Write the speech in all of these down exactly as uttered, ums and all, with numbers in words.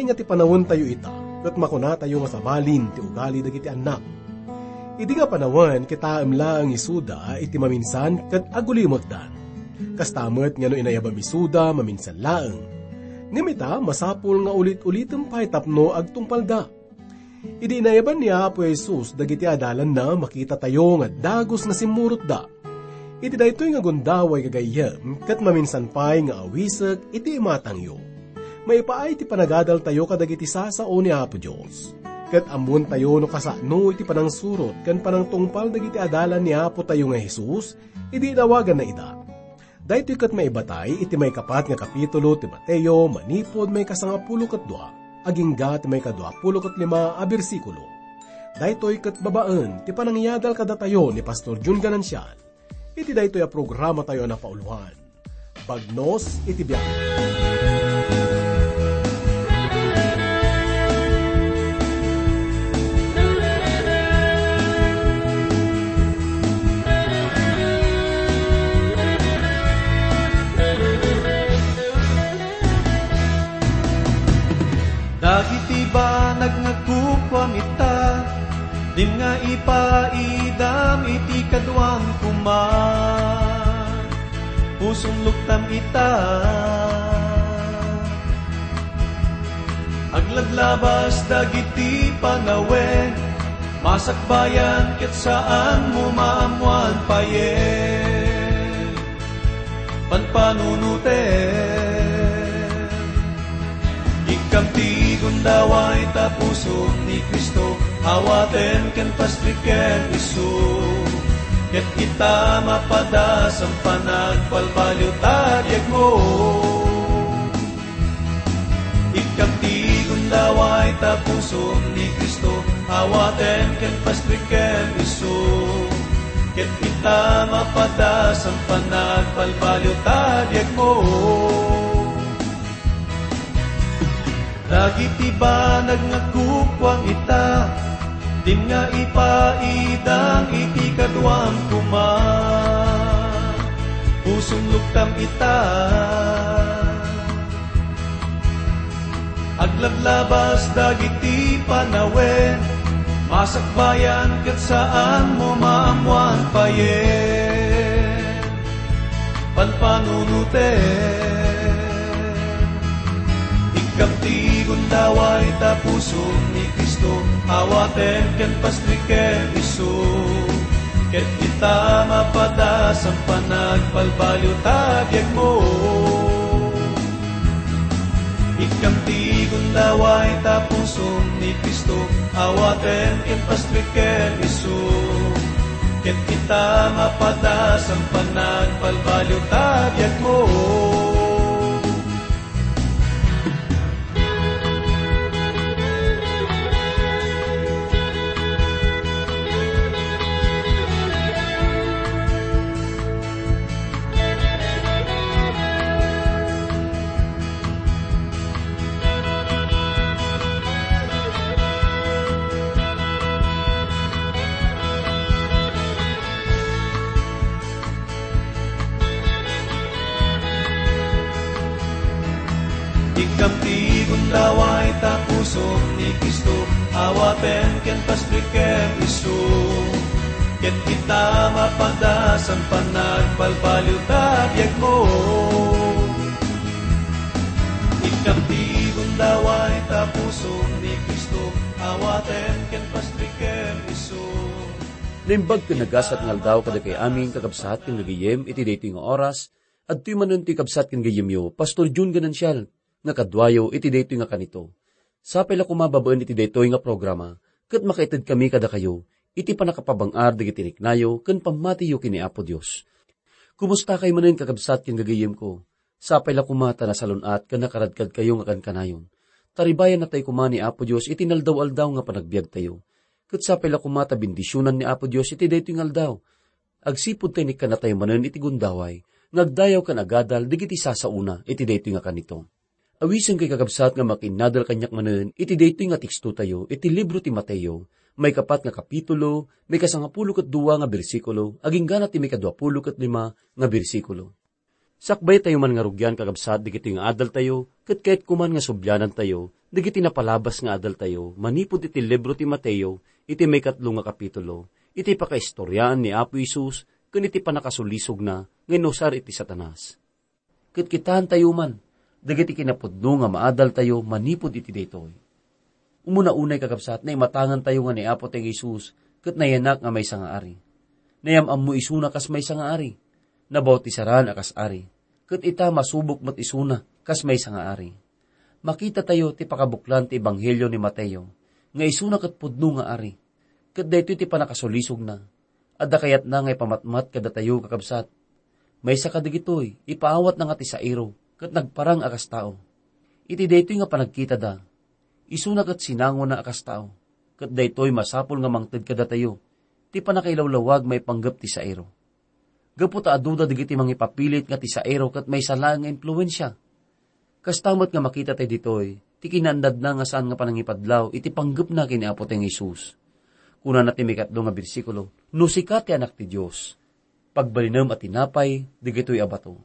Ania ti panawentayo ita, ket makunatayo nga sabalin ti ugali dagiti annak. Idi nga panawen, kitaem laeng isuda iti maminsan ket agulimekdan. Kasta met nga no inayabam isuda, maminsan laeng. Ngem ita, masapul nga ulit-ulitem pay tapno agtungpalda. Idi inayaban ni Apo Jesus dagiti adalanna, makitatayo nga dagus nga simmurotda. Iti daytoy nga gundaway gagayyem, ket maminsan pay nga awisek iti imatangyo. Maipaay ti panagadaltayo kadagiti sasao ni Apo Dios. Ket ammoentayo no kasano iti panangsurot ken panangtungpal dagiti adalan ni Apotayo nga Jesus idi inawaganna ida. Daytoy ket maibatay iti maikapat nga kapitulo ti Mateo manipud maikasangapulo ket dua, agingga ti maikaduapulo ket lima a bersikulo. Daytoy ket babaen ti panangyadal kadatayo ni Pastor Jun Ganancial iti daytoy a programatayo a napauloan, Bagnos iti Biag. Dagiti banag nga kukuam ita, dim nga ipaidam iti kaduam koma. Pusom luktam ita. Aglablabas dagiti panawen, masakbayan ket saanmo maammoan payen. Panpanunoten. Ikkam ti gundaway ta pusom ni Cristo, awaten ken pastriken isu. Ket ita mapadas a panagbalbaliw ta biagmo. Ikkam ti gundaway ta pusom ni Cristo, awaten ken pastriken isu. Ket ita mapadas a panagbalbaliw ta biagmo. Dagiti banag nga kukuam ita, dim nga ipaidam iti kaduam koma. Pusom luktam ita. Aglablabas dagiti panawen, masakbayan ket saanmo maammoan payen. Panpanunoten. Ikkam ti gundaway ta pusom ni Cristo, awaten ken pastriken isu. Ket ita mapadas a panagbalbaliw ta biagmo. Ikkam ti gundaway ta pusom ni Cristo, awaten ken pastriken isu. Ket ita mapadas a panagbalbaliw ta biagmo. Ikkam ti gundaway ta pusom ni Cristo, awaten ken pastriken isu. Ket ita mapadas a panagbalbaliw ta biagmo. Ikkam ti gundaway ta pusom ni Cristo, awaten ken pastriken isu. Naimbag ken nagasat nga aldaw kadagiti amin, kakabsat ken gagayyem, iti daytoy nga oras, adtoy manen ti kabsat ken gayyemyo, Pastor Jun Ganancial, nga kaduayo iti daytoy nga kanito. Sapay la koma babaen iti daytoy nga programa, ket makaitedkami kadakayo iti pannakapabang-ar dagiti riknayo ken pammatiyo ken ni Apo Dios. Kumustakayo manen, kakabsat ken gagayyemko? Sapay la koma ta nasalun-at ken nakaradkadkayo nga kankanayon. Taribayannatayo koma ni Apo Dios iti inaldaw-aldaw nga panagbiagtayo. Ket sapay la koma ta bendisionan ni Apo Dios iti daytoy nga aldaw. Agsipud ta inikkannatayo manen iti gundaway nga agdayaw ken agadal dagiti sasaona iti daytoy nga kanito. Awisenkayo, kakabsat, nga makiinnadal kaniak manen iti daytoy nga tekstotayo iti libro ti Mateo, maikapat nga kapitulo, maikasangapulo ket dua nga bersikulo, agingga ti maikaduapulo ket lima nga bersikulo. Sakbaytayo man nga rugian, kakabsat, dagitoy nga adaltayo, ket kayatko man nga sublianantayo dagiti napalabas nga adaltayo manipud iti libro ti Mateo, iti maikatlo nga kapitulo, iti pakaistoriaan ni Apo Jesus ken iti pannakasulisogna nga inusar iti Satanas. Ket kitaentayo man dagiti kinapudno nga maadaltayo manipud iti daytoy. Umuna unay, kakabsat, naimatangantayo nga ni Apo ti Jesus ket nayanak nga maysa nga ari. Nayam-ammo isuna kas maysa nga ari. Nabautisaran a kas ari. Ket ita, masubok met isuna kas maysa nga ari. Makitatayo ti pakabuklan ti Ebanghelio ni Mateo nga isuna ket pudno nga ari. Ket daytoy ti pannakasulisogna. Adda kayatna nga ipamatmat kadatayo, kakabsat. Maysa kadagitoy, ipaawatna nga ti sairo, ket nagparang a kas tao. Iti daytoy nga panagkitada, isuna ket sinangona a kas tao, ket daytoy masapul nga mangted kadatayo ti pannakailawlawag maipanggep ti sairo. Gapu ta aduda dagiti mangipapilit nga ti sairo ket maysa laeng nga impluensia. Kasta met nga makitatayo ditoy ti kinaannadna nga saan nga panangipadlaw iti panggepna ken ni Apo ti Jesus. Kunana ti maikatlo nga bersikulo, "No sika ti Anak ti Dios, pagbalinem a tinapay dagitoy a bato."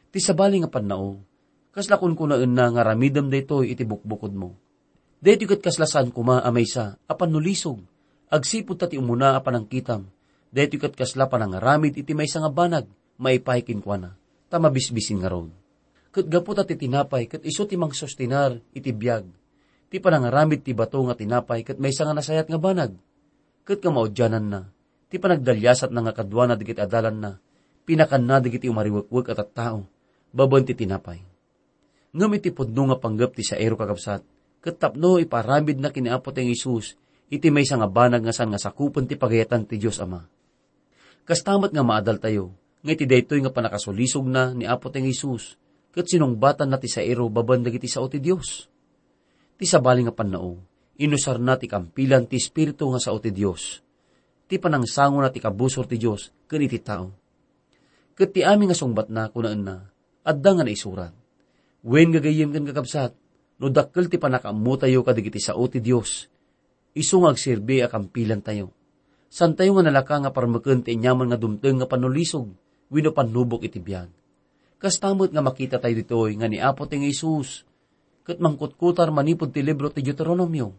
Ti sabali nga pannao, kasla kunkunaenna nga aramidem daytoy iti bukbukodmo. Daytoy ket kasla saan koma a maysa a pannulisog, agsipud ta ti umuna a panangkitam, daytoy ket kasla panangaramid iti maysa nga banag maipaay kenkuana, ta mabisbisin ngarud. Ket gapu ta ti tinapay ket isu ti mangsustinar iti biag, ti panangaramid ti bato nga tinapay ket maysa nga nasayaat nga banag, ket nga maudiananna, ti panagdaliasatna nga kaduana dagiti adalanna, pinakanna dagiti umariwekwek a tattao babaen ti tinapay. Ngem iti pudno nga panggep ti sairo, kakabsat, ket tapno ipaaramidna ken ni Apo ti Jesus iti maysa nga banag nga saan nga sakupen ti pagayatan ti Dios Ama. Kasta met nga maadaltayo nga iti daytoy nga pannakasulisogna ni Apo ti Jesus ket sinungbatanna ti sairo babaen dagiti sao ti Dios. Ti sabali nga pannao, inusarna ti kampilan ti Espiritu nga sao ti Dios, ti panangsangona ti kabusor ti Dios ken iti tao. Ket ti amin nga sungbatna, kunaenna, adda nga naisurat. Wen, gagayyem ken kakabsat, no dakkel ti pannakaammotayo kadagiti sao ti Dios, isu nga agserbi a kampilantayo. Saantayo nga nalaka nga parmeken ti aniaman nga dumteng nga pannulisog wenno pannubok iti biag. Kasta met nga makitatayo ditoy nga ni Apo ti nga Jesus ket mangkutkutar manipud ti libro ti Deuteronomio.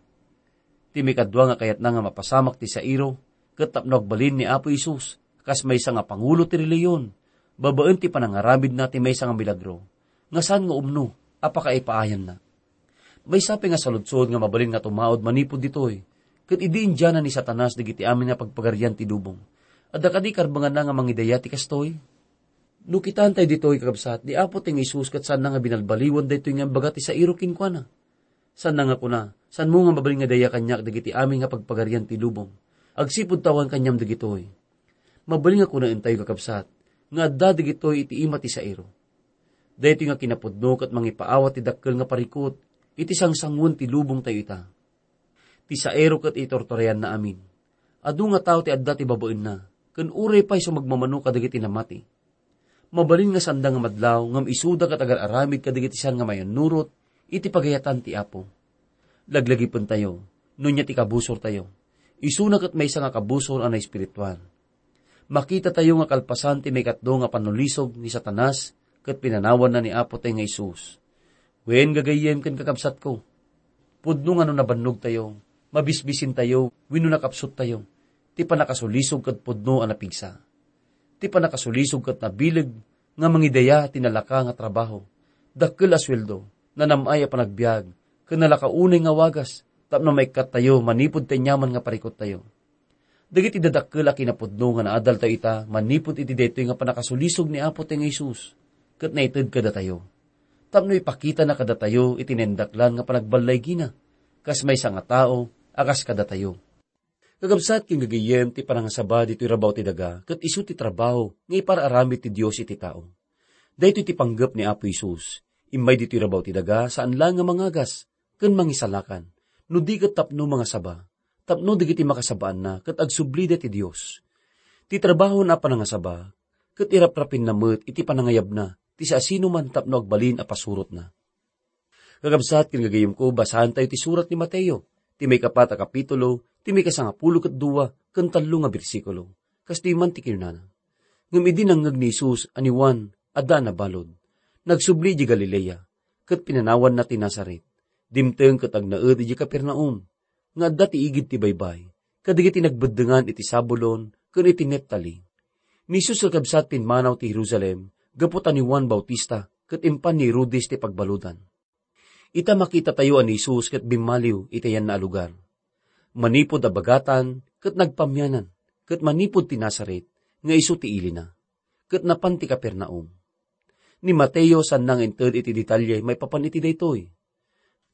Ti maikadua nga kayatna nga mapasamak ti sairo, ket tapno agbalin ni Apo Jesus kas maysa nga pangulo ti relihiyon, babaen ti panangaramidna ti maysa nga milagro, nga saan nga umno a pakaipaayanna. Maysa pay nga saludsod nga mabalin nga tumaud manipud ditoy, ket idi indiana ni Satanas dagiti amin nga pagpagarian ti lubong, adda kadi karbenganna nga mangidaya ti kastoy? No kitaentayo ditoy, kakabsat, ni Apo ti nga Jesus ket saanna nga binalbaliwen daytoy nga imbaga ti sairo kenkuana. Saanna nga kuna, "Saanmo nga mabalin nga daya kaniak dagiti amin nga pagpagarian ti lubong, agsipud ta awan kaniam dagitoy." Mabalin nga kunaentayo, kakabsat, nga adda dagitoy iti ima ti sairo. Daytoy nga kinapudno ket mangipaawat ti dakkel nga parikut iti sangsangoen ti lubongtayo ita. Ti sairo ket iturturayanna amin. Adu nga tao ti adda ti babaenna, ken uray pay sumagmamano kadagiti namati. Mabalin nga saanda nga madlaw, ngem isuda ket agar-aramid kadagiti saan nga mayannurot iti pagayatan ti Apo. Laglagipentayo, no ania ti kabusortayo. Isuna ket maysa nga kabusor a naespirituan. Makitatayo nga kalpasan ti maikatlo nga pannulisog ni Satanas ket pinanawanna ni Apo tayo nga Jesus. Wen, gagayyem ken kakabsatko, pudno nga no nabannogtayo, mabisbisintayo, wenno nakapsuttayo, ti pannakasulisog ket pudno a napigsa. Ti pannakasulisog ket nabileg nga mangidaya ti nalaka nga trabaho, dakkel a sueldo, nanam-ay a panagbiag, ken nalaka unay nga wagas tapno maikkattayo manipud ti aniaman nga parikuttayo. Dagiti dadakkel a kinapudno nga naadaltayo ita manipud iti daytoy nga pannakasulisog ni Apo ti nga Jesus ket naited kadatayo, tapno ipakitana kadatayo iti naindaklan nga panagballaygina, kas maysa nga tao a kas kadatayo. Kakabsat ken gagayyem, ti panangasaba ditoy rabaw ti daga ket isu ti trabaho nga ipaar-aramid ti Dios iti tao. Daytoy ti panggep ni Apo Jesus. Immay ditoy rabaw ti daga, saan laeng nga mangagas ken mangisalakan, no di ket tapno mangasaba, tapno dagiti makasabaanna ket agsublida ti Dios. Ti trabahona a panangasaba ket iraprapinna met iti panangayabna ti siasinoman tapno agbalin a pasurotna. Kakabsat ken gagayyemko, basaentayo ti surat ni Mateo, ti maikapat a kapitulo, ti maikasangapulo ket dua ken tallo nga bersikulo. Kastoy man ti kinunana, "Ngem idi nangngeg ni Jesus a ni Juan adda a nabalud. Nagsubli idiay Galilea, ket pinanawanna ti Nazaret. Dimteng ket agnaed idiay Capernaum, nga adda ti igid ti baybay, kadagiti nagbeddengan iti Zabulon ken iti Neftali. Ni Jesus kakabsat pimmanaw ti Jerusalem gapu ta ni Juan Bautista ket impan ni Herodes ti pagbaludan. Ita makitatayo a ni Jesus ket bimmaliw iti ayanna a lugar. Manipud a bagatan ket nagpamianan, ket manipud ti Nazaret nga isu ti ilina, ket napan ti Capernaum. Ni Mateo saanna nga inted iti detalye maipapan iti daytoy.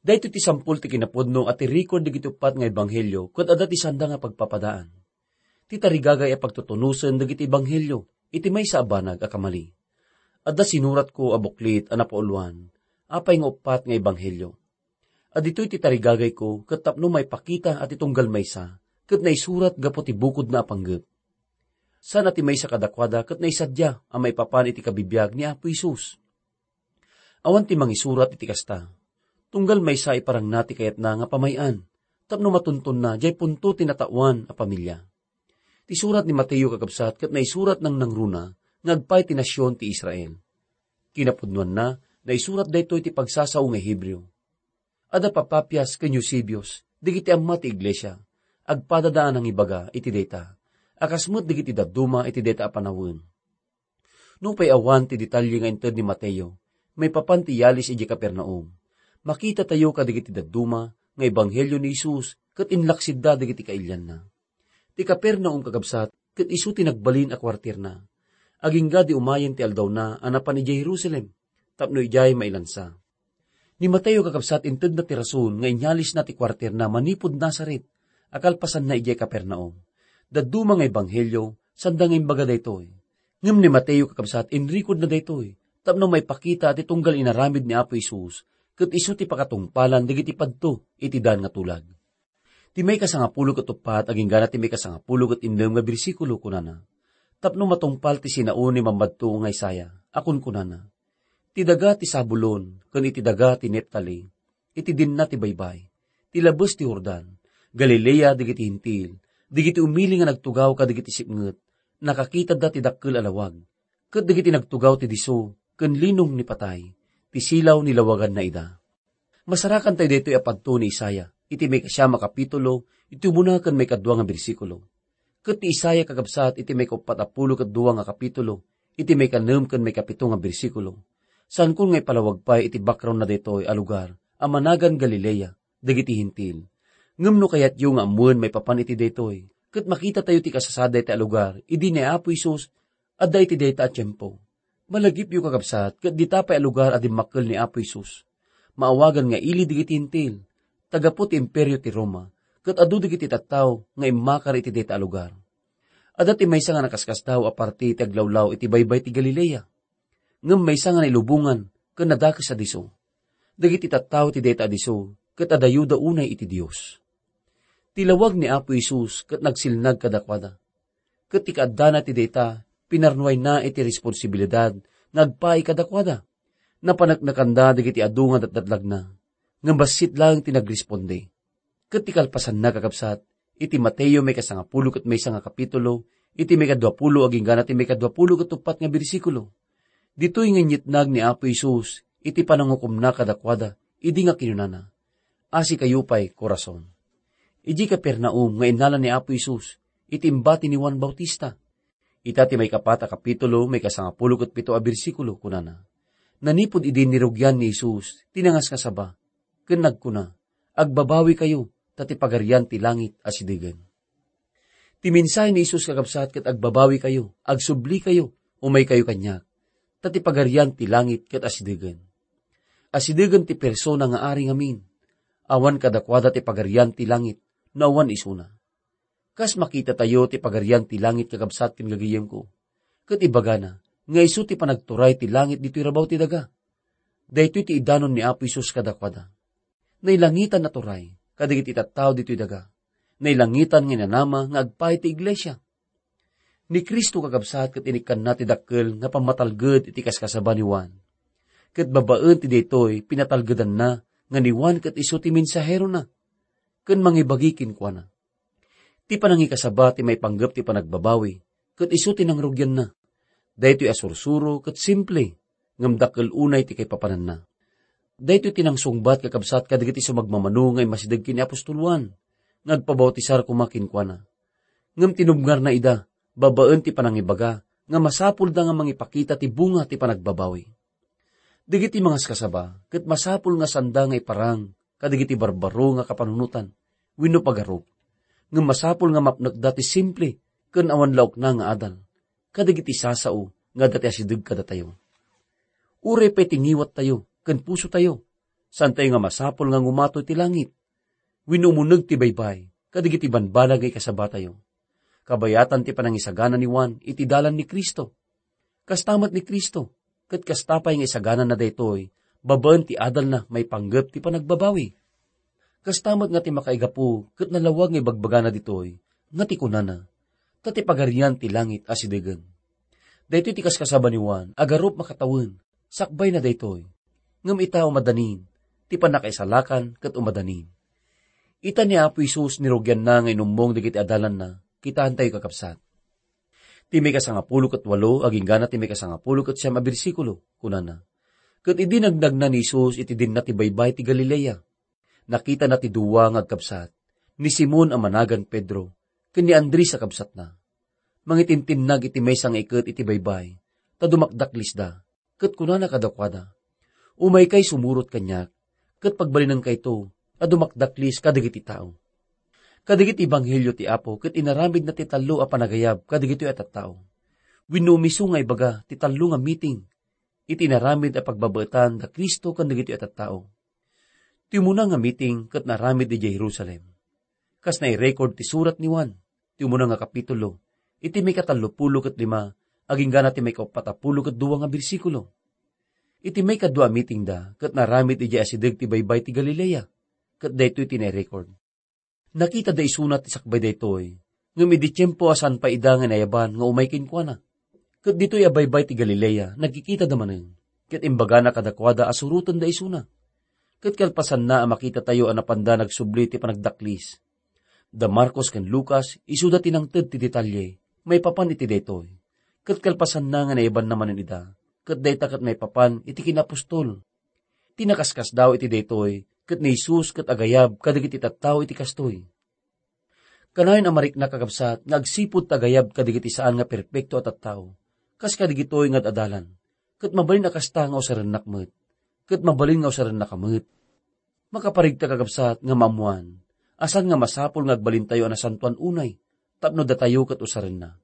Daytoy ti sampul ti kinapudno a ti record dagiti uppat nga ebanghelio ket adda ti saanda nga pagpapadaan. Ti tarigagay a pagtutunosen dagiti ebanghelio iti maysa a banag a kamali. Adda sinuratko a buklit a napauluan, apay nga uppat nga ebanghelio. A ditoy ti tarigagayko ket tapno maipakita a ti tunggal maysa ket naisurat gapu ti bukodna a panggep. Saan a ti maysa kadakuada ket naisadiay a maipapan iti kabibiag ni Apo Jesus. Awan ti mangisurat iti kasta. Tunggal maysa iparangna ti kayatna nga pamay-an, tapno matuntonna diay punto ti nataoan a pamilia. Ti surat ni Mateo kakabsat ket naisurat nang nangruna nga agpay ti nasion ti Israel. Kinapudnoanna, naisurat daytoy ti pagsasao nga Hebreo. Adda Papapias ken Eusebius, dagiti amma ti iglesia, agpadada a nangibaga iti dayta, a kas met dagiti dadduma iti dayta a panawen. Nupay awan ti detalye nga inted ni Mateo maipapan ti iyalis idiay Capernaum, makitatayo kadagiti dadduma nga ebanghelio ni Jesus ket inlaksidda dagiti kailianna. Ti Capernaum kakabsat ket isu ti nagbalin a kuarterna. Agingga di umayen ti aldawna a napan idiay Jerusalem tapno idiay mailansa. Ni Mateo kakabsat intedna ti rason nga inyalisna ti kuarterna manipud Nazaret a kalpasanna idiay Capernaum. Dadduma nga ebanghelio, sanda nga imbaga daytoy. Ngem ni Mateo kakabsat inrekodna daytoy tapno maipakita ti tunggal inaramid ni Apo Jesus ket isu ti pakatungpalan dagiti padto iti daan nga tulag. Ti maikasangapulo ket uppat agingga ti maikasangapulo ket innem nga bersikulo kunana, tapno matungpal ti sinaon ni Mammadto nga Isaiah a kunkunana, "Ti daga ti Zabulon ken iti daga ti Neftali, iti dinna ti baybay, ti labes ti Jordan, Galilea dagiti Hentil, dagiti umili nga nagtugaw kadagiti sipnget, nakakitadda ti dakkel a lawag, ket dagiti nagtugaw ti disso ken linong ni patay, ti silaw ni lawaganna ida." Masarakan tayo daytoy a padto ni Isaiah iti maikasiam a kapitulo, iti umuna ken maikadua nga bersikulo. Ket ti Isaiah kakabsat iti maikauppat a pulo ket dua nga kapitulo, iti maikanem ken maikapito nga bersikulo. Saankon nga ipalawag pay iti background na daytoy a lugar a managan Galilea dagiti Hentil. Ngem no kayatyo nga ammoen maipapan iti daytoy, ket makitatayo ti kasasaad dayta a lugar idi ni Apo Jesus adda iti dayta a tiempo. Malagipyo, kakabsat, ket dita pay a lugar a dimmakkel ni Apo Jesus. Maawagan nga ili dagiti Hentil, ta gapu ti Imperio ti Roma, ket adu dagiti tattao nga immakar iti dayta a lugar. Adda ti maysa nga nakaskasdaaw a parte ti aglawlaw iti baybay ti Galilea. Ngem maysa nga nailubongan ken nadakes a disso. Dagiti tattao ti dayta a disso ket adayoda unay iti Dios. Ti lawag ni Apo Jesus ket nagsilnag kadakuada. Ket ti kaaddana ti dayta, pinarnuayna iti responsibilidad nga agpaay kadakuada. Napaneknekanda dagiti adu nga datdatlagna, ngem bassit laeng ti nagresponde. Ket ti kalpasanna, kakabsat, iti Mateo maikasangapulo ket maysa nga kapitulo, iti maikaduapulo agingga ti maikaduapulo ket uppat nga bersikulo. Ditoy nga inyetnag ni Apo Jesus iti panangukomna kadakuada, idi nga kinunana, "Asikayo pay, Corazon." Idiay Capernaum nga innala ni Apo Jesus iti imbati ni Juan Bautista. Ita ti maikapat a kapitulo, maikasangapulo ket pito a bersikulo, kunana, "Nanipud idi nirugian ni Jesus ti nangasngasaba, ken nagkuna, 'Agbabawikayo, ta ti Pagarian ti langit asidegen.'" Ti mensahe ni Jesus, kakabsat, ket agbabawikayo, agsublikayo, umaykayo kaniak, ta ti Pagarian ti langit ket asidegen. Asidegen ti persona nga ari ngamin. Awan kadakuada ti Pagarian ti langit no awan isuna. Kas makitatayo ti Pagarian ti langit, kakabsat ken gagayyemko, ket ibagana nga isu ti panagturay ti langit ditoy rabaw ti daga. Daytoy ti idanon ni Apo Jesus kadakuada. Nailangitan a turay kadagiti tattao ditoy daga. Nailangitan nga inanama nga agpaay ti iglesia. Ni Cristo, kakabsat, ket inikkanna ti dakkel nga pammatalged iti kaskasaba ni Juan. Ket babaen ti daytoy, pinatalgedanna nga ni Juan ket isu ti mensaherona ken mangibagi kenkuana. Ti panangikasaba ti maipanggep ti panagbabawi, ket isu ti nangrugianna. Daytoy a sursuro ket simple, ngem dakkel unay ti kaipapananna. Daytoy ti nangsungbat, kakabsat, kadagiti sumagmamano nga immasideg ken ni apostol Juan nga agpabautisar koma kenkuana. Ngem tinubngarna ida babaen ti panangibaga nga masapulda nga mangipakita ti bunga ti panagbabawi. Dagiti mangaskasaba ket masapul nga sanda nga iparang kadagiti barbaro nga kapanunotan wenno pagarup, ngem masapul nga mapnekda ti simple ken awan laokna nga adal kadagiti sasao nga adda ti asideg kadatayo. Uray pay ti ngiwattayo ken pusotayo, saantayo nga masapul nga ngumato iti langit wenno umuneg ti baybay kadagiti banbanag nga ikasabatayo. Kabayatan ti panangisagana ni Juan iti dalan ni Cristo. Kasta met ni Cristo, ket kasta pay nga isaganana daytoy babaen ti adalna maipanggep ti panagbabawi. Kasta met nga ti makaigapu ket nalawag nga ibagbagana ditoy nga ti kunana, ta ti Pagarian ti langit asidegen. Daytoy ti kaskasaba ni Juan, agarup makatawen, sakbayna daytoy. Ngem ita umadanin, ti pannakaisalakan ket umadanin. Ita ni Apo Jesus nirugianna nga inummong dagiti adalanna, kitaentayo, kakabsat. Ti maikasangapulo ket walo, aginggana ti maikasangapulo ket siam a bersikulo, kunana, ket idi nagnagna ni Jesus iti dinna ti baybay ti Galilea, nakitana ti dua nga agkabsat, ni Simon a managan Pedro, ken ni Andres a kabsatna. Mangitinnag iti maysa nga iket iti baybay, ta dumakdaklisda, ket kunana kadakuada, "Umaykay sumurot kaniak, ket pagbalinenkayo a dumakdaklis kadagiti tao." Kadagiti ebanghelio ti Apo ket inaramidna ti tallo a panagayab kadagitoy a tattao. Wenno umiso nga ibaga ti tallo nga meeting iti inaramid a pagbabaetan da Cristo ken dagitoy a tattao. Ti umuna nga meeting ket naaramid idiay Jerusalem. Kas nairecord ti surat ni Juan, ti umuna nga kapitulo, iti maikatallopulo ket lima, aginggana ti maikaupatapulo ket dua nga bersikulo. Iti maikadua a meeting da, ket naaramid idiay asideg ti baybay ti Galilea, ket daytoy ti nairecord. Nakitada isuna ti sakbay daytoy, ngem idi tiempo a saan pay ida nga nayaban nga umay kenkuana. Ket ditoy a baybay ti Galilea, nagkikitada manen, ket imbagana kadakuada a surotenda isuna. Ket kalpasanna a makitatayo a napanda nagsubli ti panagdaklis. Da Marcos ken Lucas, isuda ti nangted ti detalye maipapan iti daytoy. Ket kalpasanna nga naibanna manen ida, ket dayta ket maipapan iti kinapostol. Ti nakaskasdaaw iti daytoy, ket ni Jesus ket agayab kadagiti tattao iti kastoy. Kanayon a mariknak, kakabsat, nga agsipud ta agayab kadagiti saan nga perpekto a tattao, kas kadagitoy nga ad-adalan, ket mabalin a kasta nga usarennak met, ket mabalin nga usarennaka met. Makaparigta, kakabsat, nga maammoan a saan nga masapul nga agbalintayo a nasantoan unay tapno datayo ket usarenna.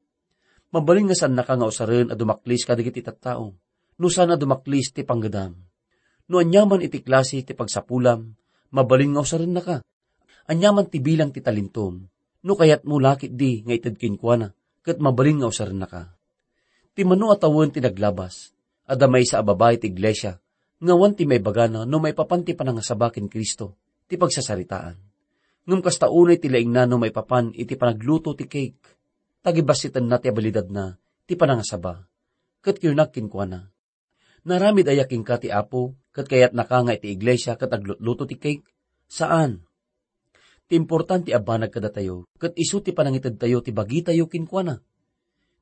Mabalin nga saannaka nga usaren a dumaklis kadagiti tattao, no saan a dumaklis ti panggedam. No aniaman iti klase ti pagsapulam, mabalin nga usarennaka. Aniaman ti bilang ti talentom, no kayatmo la ketdi nga ited kenkuana, ket mabalin nga usarennaka. Ti mano a tawen ti naglabas, adda maysa a babai ti iglesia, nga awan ti maibagana no maipapan ti panangasaba ken Cristo ti pagsasaritaan. Ngem kasta unay ti laingna no maipapan iti panagluto ti cake. Tagibassitenna ti abilidadna ti panangasaba. Ket kuynak kenkuana, "Naaramid aya kenka ti Apo, ket kayatnaka nga iti iglesia ket aglutluto ti cake?" Saan. Ti importante a banag kadatayo, ket isu ti panangitedtayo ti bagitayo kenkuana.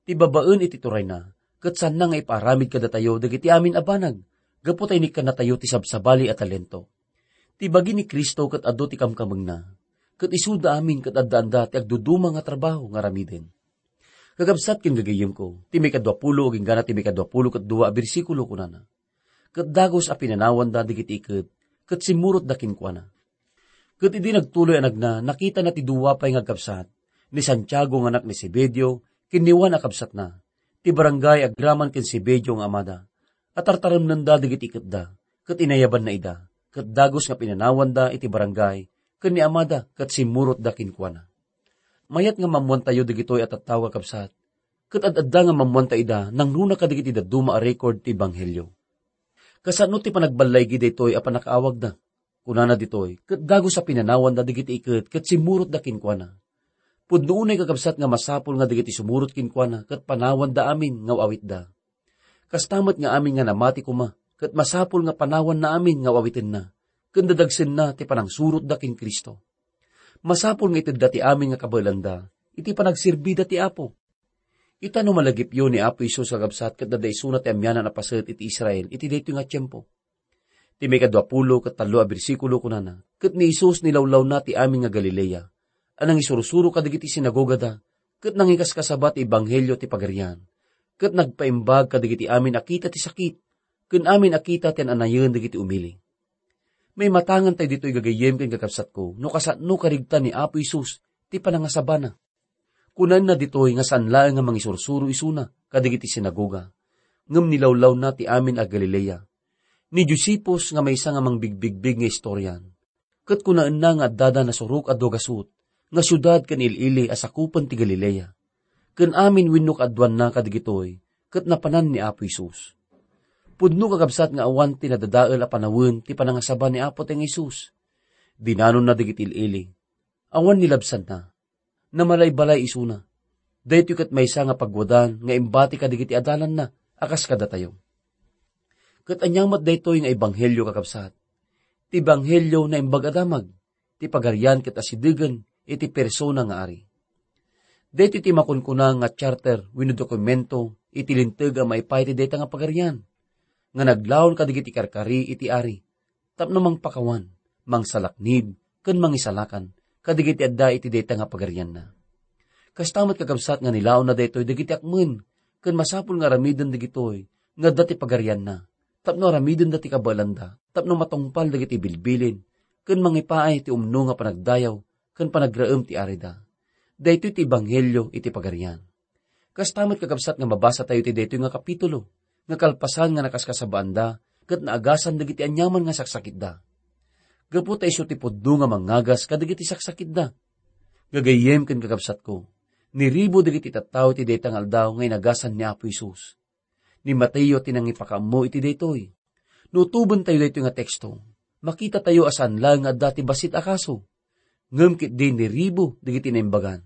Ti babaen iti turayna, ket saanna nga ipaaramid kadatayo dagiti amin a banag, gapu ta inikkannatayo ti sabsabali a talento. Ti bagi ni Cristo ket adu ti kamkamengna, ket isuda amin ket addaanda ti agduduma nga trabaho nga aramiden. Kakabsat ken gagayyemko, ti maikadua pulo aginggana ti maikadua pulo ket dua a bersikulo kunana, "Ket dagus a pinanawanda dagiti iket, ket simmurotda kenkuana." Ket idi nagtuloy a nagna, nakitana ti dua pay nga agkabsat, ni Santiago nga anak ni Zebedeo, ken ni Juan a kabsatna, ti barangay agraman ken Zebedeo nga amada, a tartaremnenda dagiti iketda, ket inayabanna ida, ket dagus nga pinanawanda iti barangay ken ni amada ket simmurotda kenkuana. Mayat nga maammoantayo dagitoy a tattao, kakabsat, ket ad-adda nga maammoanta ida nangruna kadagiti dadduma a record ti ebanghelio. Kasano ti panagballaigi daytoy a pannakaawagda? Kunana ditoy, "Ket dagus a pinanawanda dagiti iket ket simmurotda kenkuana." Pudno unay, kakabsat, nga masapul nga dagiti sumurot kenkuana ket panawanda amin nga awitda. Kasta met nga amin nga namati koma, ket masapul nga panawanna amin nga awitenna, ken dadagsenna ti panangsurotda ken Cristo. Masapul nga itedda ti amin nga kabaelanda iti panagserbida ti Apo. Ita no malagipyo ni Apo Jesus, kakabsat, ket adda isuna ti amianan a paset iti Israel iti daytoy nga tiempo. Ti maikadua pulo ket tallo a bersikulo kunana, "Ket ni Jesus nilawlawna ti amin nga Galilea, a nangisursuro kadagiti sinagogada, ket nangikaskasaba ti ebanghelio ti Pagarian, ket nagpaimbag kadagiti amin a kita ti sakit, ken amin a kita ti an-anayen dagiti umili." Maimatangan tayo ditoy, gagayyem ken kakabsatko, no kasano karigtan ni Apo Jesus ti panangasabana. Kunana ditoy nga saan laeng nga mangisursuro isuna kadagiti sinagoga, ngem nilawlawna ti amin a Galilea. Ni Josephus nga maysa nga mangbigbigbig nga istorian, ket kunaenna nga addada Nasurok a dua gasut nga siudad ken il-ili a sakupen ti Galilea. Ken amin wenno kaaduanna kadagitoy ket napanan ni Apo Jesus. Pudno, kakabsat, nga awan ti nadadael a panawen ti panangasaba ni Apo ti Jesus. Dinanonna dagiti il-ili. Awan nilabsanna. Namalay-balay isuna. Daytoy ket maysa nga pagwadan nga imbati kadagiti adalanna a kas kadatayo. Ket ania met daytoy nga ebanghelio, kakabsat? Ti ebanghelio naimbag a damag. Ti Pagarian ket asidegen iti persona nga ari. Daytoy ti makunkuna nga charter wenno dokumento iti linteg a maipaay ti dayta nga Pagarian, nga naglaon kadagiti karkari iti ari, tapno mangpakawan, mangsalaknib, ken mangisalakan kadagiti adda iti dayta nga pagarianna. Kasta met, kakabsat, nga nilaonna daytoy dagiti akmen, ken masapul nga aramiden dagitoy nga adda ti pagarianna, tapno aramidenda ti kabaelanda, tapno matungpal dagiti bilbilin, ken mangipaay ti umno nga panagdayaw ken panagraem ti arida. Daytoy ti ebanghelio iti Pagarian. Kasta met, kakabsat, nga mabasa tayo ti daytoy nga kapitulo, nga kalpasan nga nakaskasabaanda, ket naagasan dagiti aniaman nga saksakitda. Gapu ta isu ti pudno nga mangagas kadagiti saksakitda. Gagayyem ken kakabsatko, niribo dagiti tattao iti dayta nga aldaw nga inagasan ni Apo Jesus. Ni Mateo ti nangipakaammo iti daytoy. No utoben tayo daytoy nga teksto, makita tayo a saan laeng nga adda ti bassit a kaso, ngem ketdi niribo dagiti naimbagan.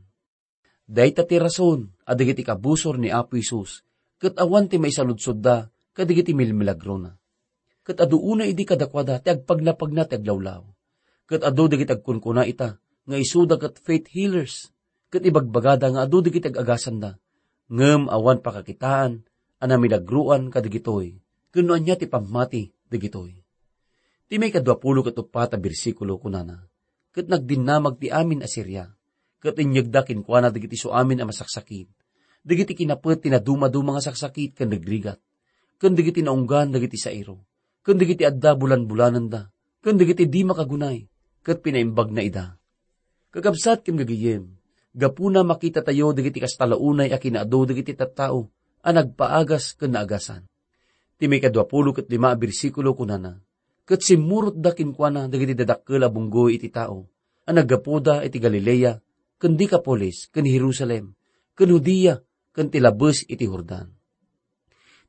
Dayta ti rason a dagiti kabusor ni Apo Jesus ket awan ti maisaludsodda kadagiti milmilagrona. Ket adu unay idi kadakuada ti agpagnapagna ti aglawlaw. Ket adu dagiti agkunkuna ita nga isuda ket faith healers, ket ibagbagada nga adu dagiti ag-agasanda, ngem awan pakakitaan a namilagroan kadagitoy, ken no ania ti pammati dagitoy. Ti maikadua pulo ket uppat a bersikulo kunana, "Ket nagdinnamag ti amin a Siria, ket inyegda kenkuana dagiti suamin a masaksakit, dagiti kinapet ti nadumaduma nga saksakit ken rigrigat, ken dagiti naunggan dagiti sairo, ken dagiti adda bulanbulananda, ken dagiti di makagunay, ket pinaimbagna ida." Kakabsat ken gagayyem, gapuna makitatayo dagiti kasta la unay a kinaadu dagiti tattao a nagpaagas ken naagasan. Ti maikadua pulo ket lima a bersikulo kunana, "Ket simmurotda kenkuana dagiti dadakkel a bunggoy iti tao a naggapuda iti Galilea, ken Decapolis, ken Jerusalem, ken Judea, ken ti labes iti Jordan."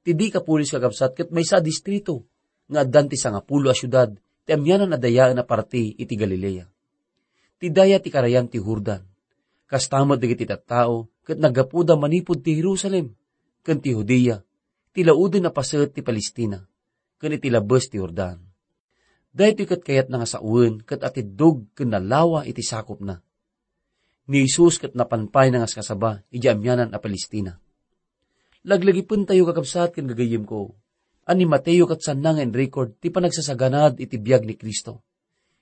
Ti Decapolis, kakabsat, ket maysa a distrito nga addan ti sangapulo a siudad ti amianan a dayaen a parti iti Galilea. Ti daya ti karayan ti Jordan. Kasta met dagiti tattao ket naggapuda manipud ti Jerusalem ken ti Judea, ti lauden a paset ti Palestina, ken iti labes ti Jordan. Daytoy ket kayatna nga sawen ket atiddog ken nalawa iti sakopna. Ni Jesus ket napan pay nangaskasaba idiay amianan a Palestina. Laglagipentayo, kakabsat ken gagayyemko, a ni Mateo ket saanna nga inrecord ti panagsasaganad iti biag ni Cristo.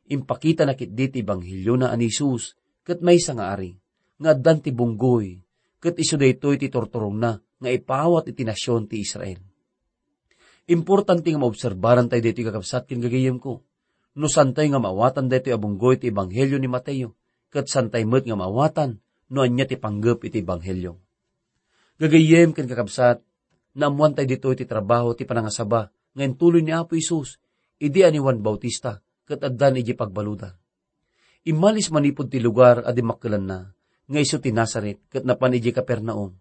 Impakitana ketdi ti ebangheliona a ni Jesus ket maysa nga ari, nga addan ti bunggoy, ket isu daytoy ti turturongna nga ipaawat iti nasion ti Israel. Importante nga maobserbaran tayo daytoy, kakabsat ken gagayyemko. No saantayo nga maawatan daytoy a bunggoy ti ebanghelio ni Mateo, ket saantayo met nga maawatan no ania ti panggep iti ebanghelio. Gagayyem ken kakabsat, naammoan tayo ditoy ti trabaho ti panangasaba nga intuloy ni Apo Jesus idi a ni Juan Bautista ket addan idiay pagbaludan. Immalis manipud ti lugar a dimmakkelanna, nga isu ti Nazaret, ket napan idiay Capernaum.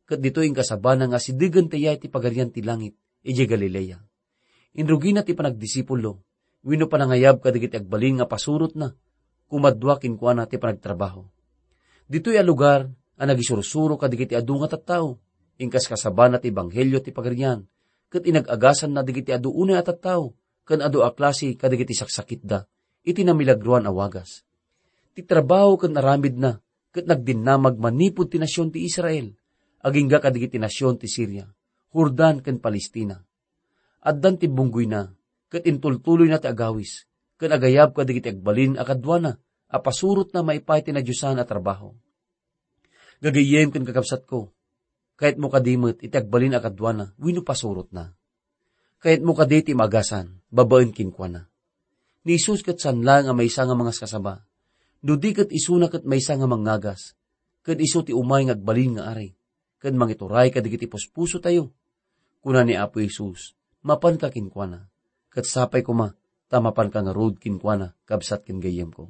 Ket ditoy inkasabana nga asidegen ti yay ti Pagarian ti Langit idiay Galilea. Inrugina ti panagdisipulo, wenno panangayab kadagiti agbalin nga pasurotna, kumadua kenkuana ti panagtrabaho. Ditoy a lugar a nagisursuro kadagiti adu nga tattao, inkaskasabana ti ebanghelio ti Pagarian, ket inag-agasanna dagiti adu unay a tattao ken adu a klase kadagiti saksakitda iti namilagroan a wagas. Ti trabaho ken aramidna ket nagdinnamag manipud ti nasion ti Israel, agingga kadagiti nasion ti Siria, Jordan ken Palestina. Addan ti bunggoyna, ket intultuloyna ti agawis, ken agayab kadagiti agbalin a kaduana a pasurotna maipaay ti nadiosan a trabaho. Gagayyem ken kakabsatko, kayatmo kadi met iti agbalin a kaduana wenno pasurotna? Kayatmo kadi ti maagasan babaen kenkuana? Ni Jesus ket saan laeng a maysa nga mangaskasaba, no di ket isuna ket maysa nga mangngagas, ken isu ti umay nga agbalin nga ari, ken mangituray kadagiti puspusotayo. Kuna ni Apo Jesus, "Mapanka kenkuana, ket sapay koma ta mapanka ngarud kenkuana, kabsat ken gayyemko."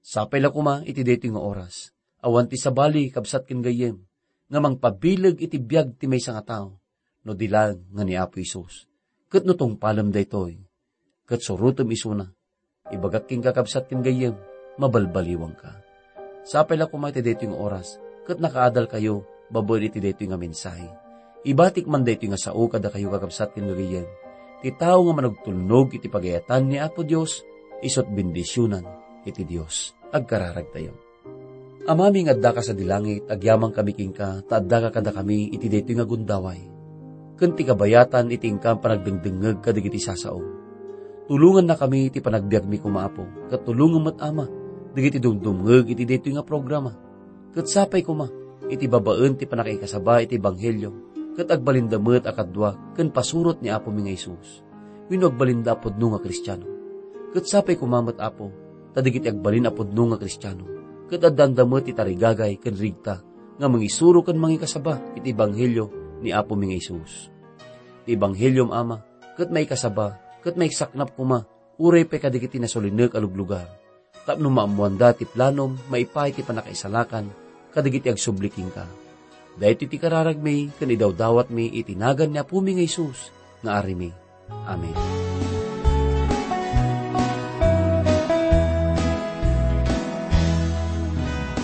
Sapay la koma iti daytoy nga oras, awan ti sabali, kabsat ken gayyem, nga mangpabileg iti biag ti maysa nga tao, no di laeng nga ni Apo Jesus. Ket no tungpalem daytoy, ket surotem isuna, ibagak kenka, kabsat ken gayyem, mabalbaliwanka. Sapay la koma iti daytoy nga oras, ket nakaadalkayo babaen iti daytoy nga mensahe. Ibatik man daytoy nga sao kadakayo, kakabsat ken gagayyem. Ti tao nga manugtulnog iti pagayatan ni Apo Dios, isut' bendisionan iti Dios. Agkararagtayo. Amami nga addaka sadi langit, agyamankami kenka, ta addaka kadakami iti daytoy nga gundaway, ken ti kabayatan iti inkam panagdengdengngeg kadagiti sasaom. Tulongannakami iti panagbiagmi koma, Apo, ket tulongem met, Ama, dagiti dumdumngeg iti daytoy nga programa. Ket sapay koma, iti babaen ti pannakaikasaba iti ebanghelio, ket agbalinda met a kaduak ken pasurot ni Apomi nga Jesus. Wenno agbalinda a pudno nga Kristiano. Ket sapay koma met, Apo, ta dagiti agbalin a pudno nga Kristiano, ket addaanda met ti tarigagay ken rigta nga mangisuro ken mangikasaba iti ebanghelio ni Apomi nga Jesus. Ti ebangheliom, Ama, ket maikasaba ket maisaknap koma uray pay kadagiti nasulinek a luglugar, tapno maammoanda ti planom maipaay ti pannakaisalakan kadagiti agsubli kenka. Daytoy ti kararagmi ken idawdawatmi iti nagan ni Apomi nga Jesus nga Arimi. Amen.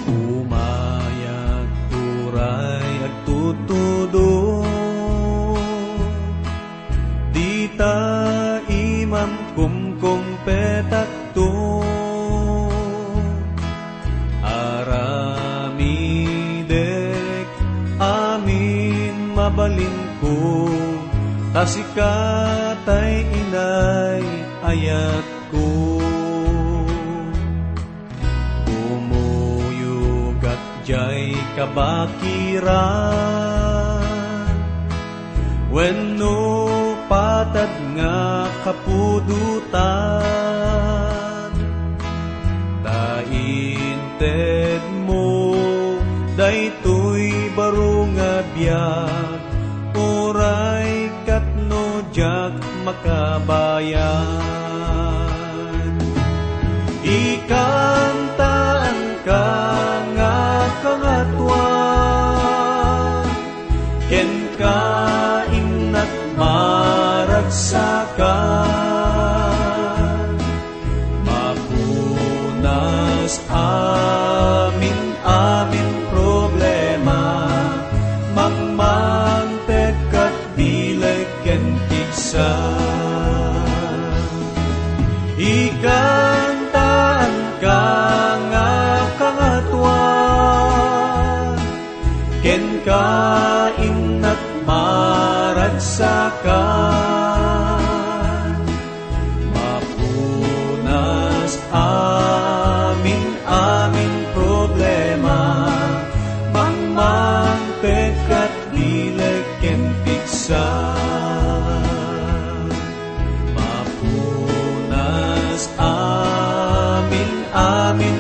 Umayag uray agtutudong, dita imam kumkumpetakto. Aramidek amin mabalinko, ta sika tay inay ayatko. Kumuyogak diay kabakiran wenno patad nga kapudotan, ta intedmo daytoy baro nga biag, uray ket no diak makabayag. Ikantaanka nga Kangatoan, kenka innak maragsakan. Mapunas amin-amin problema, mangmangpet ket bileg ken pigsa. Ikantaanka nga Kangatoan, kenka innak maragsakan. Mapunas amin-amin problema, mangmangpet ket bileg ken pigsa. Mapunas amin-amin